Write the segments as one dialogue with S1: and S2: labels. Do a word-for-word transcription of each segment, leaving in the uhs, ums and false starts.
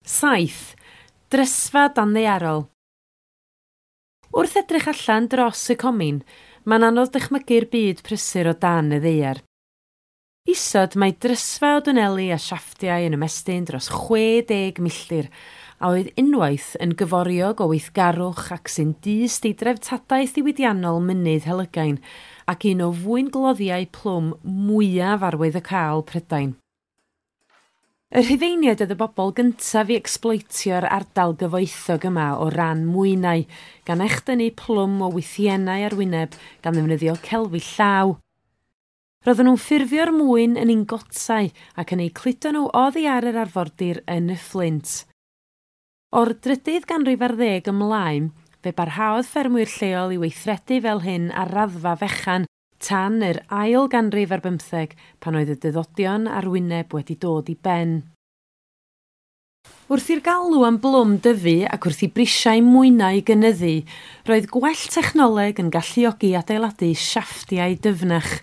S1: Saith. Drysfa danddaearol. Wrth edrych allan dros y comin, mae'n anodd dychmygu'r byd prysur o dan y ddaear. Isod mae drysfa o dwneli a siafftiau yn ymestyn dros chwe deg milltir, a oedd unwaith yn gyforiog o weithgarwch ac sy'n dyst i dreftadaeth ddiwydiannol mynydd Helygain ac un o fwyngloddiau plwm mwyaf arwyddocaol Prydain. Y Rhufeiniaid oedd y bobl gyntaf i ecsbloetio'r ardal gyfoethog yma o ran mwynau, gan echdynnu plwm o wythiennau arwyneb gan ddefnyddio celfi llaw. Roedden nhw'n ffurfio'r mwyn yn ingotau ac yn eu cludo nhw oddi ar yr arfordir yn y Fflint. O'r drydydd ganrif ar ddeg ymlaen, fe barhaodd ffermwyr lleol i weithredu fel hyn ar raddfa fechan tan yr ail ganrif ar bymtheg pan oedd y dyddodion arwyneb wedi dod i ben. Wrth i'r galw am blwm dyfu ac wrth i brisiau mwynau gynyddu, roedd gwell technoleg yn galluogi adeiladu siafftiau dyfnach,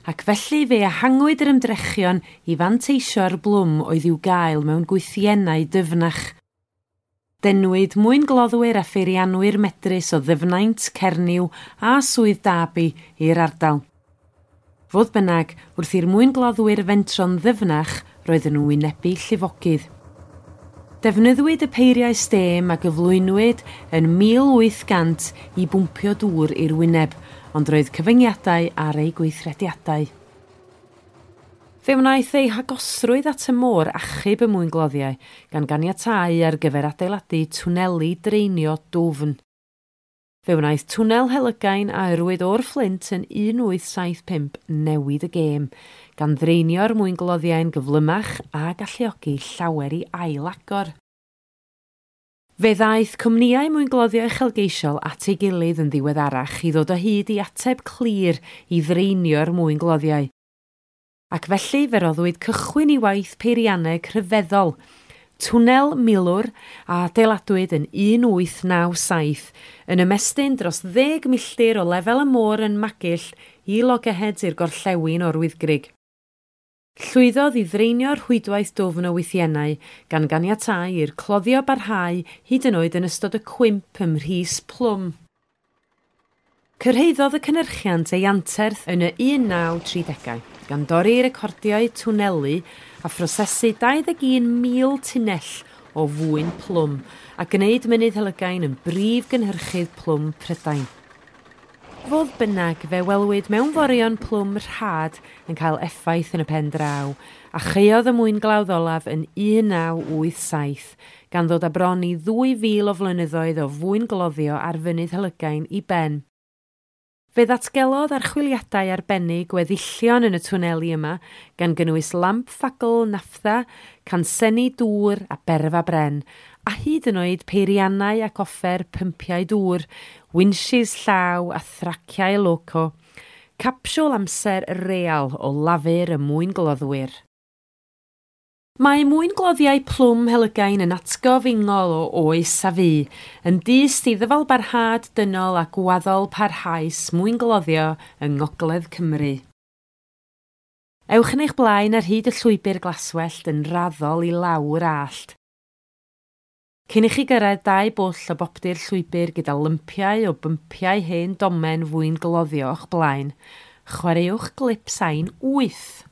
S1: ac felly fe ehangwyd yr ymdrechion i fanteisio ar blwm oedd i'w gael mewn gwythiennau dyfnach. Denwyd mwyngloddwyr a pheirianwyr medrus o Ddyfnaint, Cernyw a Swydd Derby i'r ardal. Fodd bynnag, wrth i'r mwyngloddwyr fentro'n ddyfnach, roedden nhw'n wynebu llifogydd. Defnyddiwyd y peiriau stêm a gyflwynwyd yn mil wyth cant i bwmpio dŵr i'r wyneb, ond roedd cyfyngiadau ar eu gweithrediadau. Fe wnaeth ei hagosrwydd at y môr achub y mwyngloddiau, gan ganiatáu ar gyfer adeiladu twneli dreinio dwfn. Fe wnaeth twnnel Helygain a yrwyd o'r Fflint yn un wyth saith pump newid y gêm, gan ddreinio'r mwyngloddiau'n gyflymach a galluogi llawer i ail-agor. Fe ddaeth cwmnïau mwyngloddio uchelgeisiol at ei gilydd yn ddiweddarach i ddod o hyd i ateb clir i ddreinio'r mwyngloddiau. Ac felly fe roddwyd cychwyn i waith peirianneg rhyfeddol, twnnel milwr a adeiladwyd yn un wyth naw saith, yn ymestyn dros ddeg milltir o lefel y môr yn Magill i Loggerheads i'r gorllewin o'r Wyddgrug. Llwyddodd i ddreinio'r rhwydwaith dwfn o wythiennau, gan ganiatáu i'r cloddio barhau hyd yn oed yn ystod y cwymp ym Mhris Plwm. Cyrhaeddodd y cynhyrchiant ei anterth yn y un naw tri degau, gan dorri recordiau twnelu a phrosesu dau ddeg un mil tunnell o fwyn plwm a gwneud mynydd Helygain yn brif gynhyrchydd plwm Prydain. Fodd bynnag, fe welwyd mewnforion plwm rhad yn cael effaith yn y pen draw, a chaeodd y mwynglawdd olaf yn un naw wyth saith, gan ddod â bron i ddwy fil o flynyddoedd o fwyngloddio ar fynydd Helygain i ben. Fe ddatgelodd archwiliadau arbennig gweddillion yn y twneli yma, gan gynnwys lamp ffagl nafftha, cansenni dŵr a berfa bren, a hyd yn oed peiriannau ac offer pympiau dŵr, winches llaw a thraciau loco, capsiwl amser real o lafur y mwyngloddwyr. Mae mwyngloddiau plwm Helygain yn atgof ingol o oes a fu, yn dyst i ddyfalbarhad dynol a gwaddol parhaus mwyngloddio yng Ngogledd Cymru. Ewch yn eich blaen ar hyd y llwybr glaswellt yn raddol i lawr allt. Cyn i chi gyrraedd dau bwll o boptu'r llwybr gyda lympiau o bympiau hen domen fwyngloddio o'ch blaen, chwaraewch glip sain wyth.